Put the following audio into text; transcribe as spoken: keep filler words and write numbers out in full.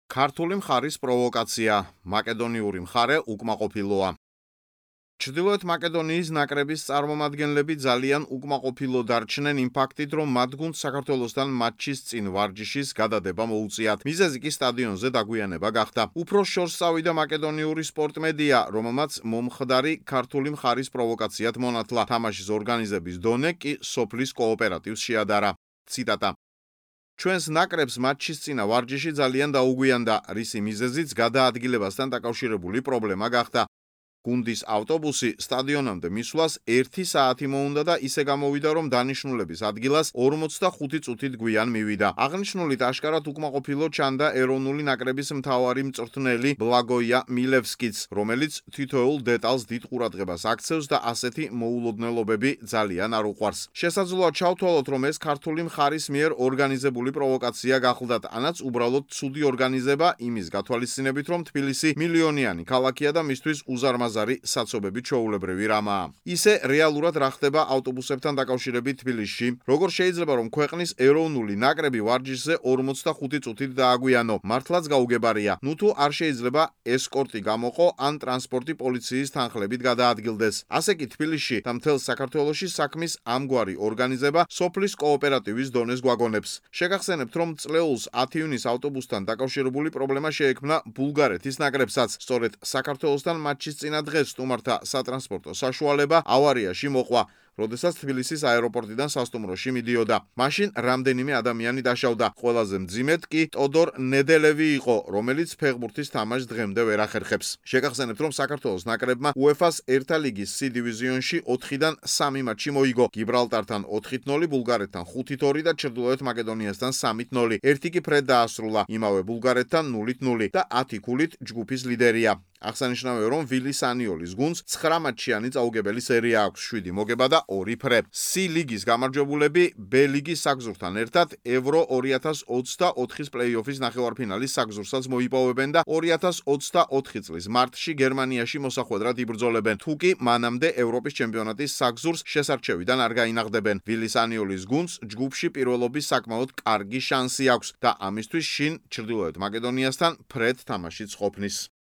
ქართული მხარის პროვოკაცია, მაკედონიური მხარე უკმაყოფილოა. ჩრდილოეთ მაკედონიის ნაკრების წარმომადგენლები ძალიან უკმაყოფილო დარჩნენ იმ ფაქტით, რომ მათ გუნდს საქართველოსთან მატჩის წინ ვარჯიშის გადადება მოუწიათ. მიზეზი კი სტადიონზე დაგვიანება გახდა. უფრო შორს წავიდა მაკედონიური სპორტმედია, რომელმაც მომხდარი ქართული მხარის პროვოკაციად მონათლა. თამაშის ორგანიზების დონე კი სოფლის კოოპერატივს შეადარა. ციტატა. ჩვენს ნაკრებს მატჩის წინა ვარჯიში ძალიან დაუგვიანდა, რისი მიზეზიც გადაადგილებასთან დაკავშირებული პრობლემა გახდა. გუნდის ავტობუსი სტადიონამდე მისვლას ერთი საათი მოუნდა და ისე გამოვიდა, რომ დანიშნულების ადგილას ორმოცდახუთი წუთით გვიან მივიდა. აღნიშნულით აშკარად უკმაყოფილო ჩანდა ეროვნული ნაკრების მთავარი მწვრთნელი ბლაგოია მილევსკიც, რომელიც თითოეულ დეტალს დიდ ყურადღებას აქცევს და ასეთი მოულოდნელობები ძალიან არ უყვარს. შესაძლოა ჩავთვალოთ, რომ ეს ქართული მხარის მიერ ორგანიზებული პროვოკაცია გახლდათ, ანაც უბრალოდ ცუდი ორგანიზება იმის გათვალისწინებით, რომ თბილისი მილიონიანი ქალაქია და მისთვის უზარმაზარი საცობები ჩვეულებრივი რამაა. ისე რეალურად რა ხდება ავტობუსებთან დაკავშირებით თბილისში? როგორ შეიძლება რომ ქვეყნის ეროვნული ნაკრები ვარჯიშზე ორმოცდახუთი წუთით დააგვიანო? მართლაც გაუგებარია. ნუ თუ არ შეიძლება ესკორტი გამოყო ან ტრანსპორტი პოლიციის თანხლებით გადაადგილდეს. ასე კი თბილისში და მთელ საქართველოში საქმის ამგვარი ორგანიზება სოფლის კოოპერატივის დონეს გვაგონებს. შეგახსენებთ, რომ წლეულს ათი ივნის ავტობუსთან დაკავშირებული პრობლემა შეექმნა ბულგარეთის ნაკრებსაც. სწორედ საქართველოსთან მატჩის წინა დღეს სტუმართა სატრანსპორტო საშუალება ავარიაში მოყვა, როდესაც თბილისის აეროპორტიდან სასტუმროში მიდიოდა. მაშინ რამდენიმე ადამიანი დაშავდა. ყველაზე მძიმედ კი ტოდორ ნედელევი იყო, რომელიც ფეხბურთის თამაშს დღემდე ვერ ახერხებს. შეგახსენებთ, რომ საქართველოს ნაკრებმა უეფას ერთა ლიგის C დივიზიონში ოთხიდან სამი მატჩი მოიგო. გიბრალტართან ოთხით ნოლი, ბულგარეთთან ხუთით ორი და ჩრდილოეთ მაკედონიასთან სამით ნოლი. ერთი კი ფრედ დაასრულა, იმავე ბულგარეთთან ნულით ნული და ათი ქულით ჯგუფის ლიდერია. აღსანიშნავია, რომ ვილი სანიოლის გუნდს ცხრა მატჩიანი წაუგებელი სერია აქვს, შვიდი მოგება და ორი ფრე. C ლიგის გამარჯვებულები B ლიგის საგზურთან ერთად ევრო ორი ათას ოცდაოთხის პლეი-ოფის ნახევარფინალის საგზურსაც მოიპოვებენ და ორი ათას ოცდაოთხი წლის მარტში გერმანიაში მოსახვედრად იბრძოლებენ. თუ კი მანამდე ევროპის ჩემპიონატის საგზურს შესარჩევიდან არ გაინაღდებენ. ვილი სანიოლის გუნდს ჯგუფში პირველობის საკმაოდ კარგი შანსი აქვს და ამისთვის შინ ჩრდილოეთ მაკედონიასთან ფრედ თამაშიც ყოფნის.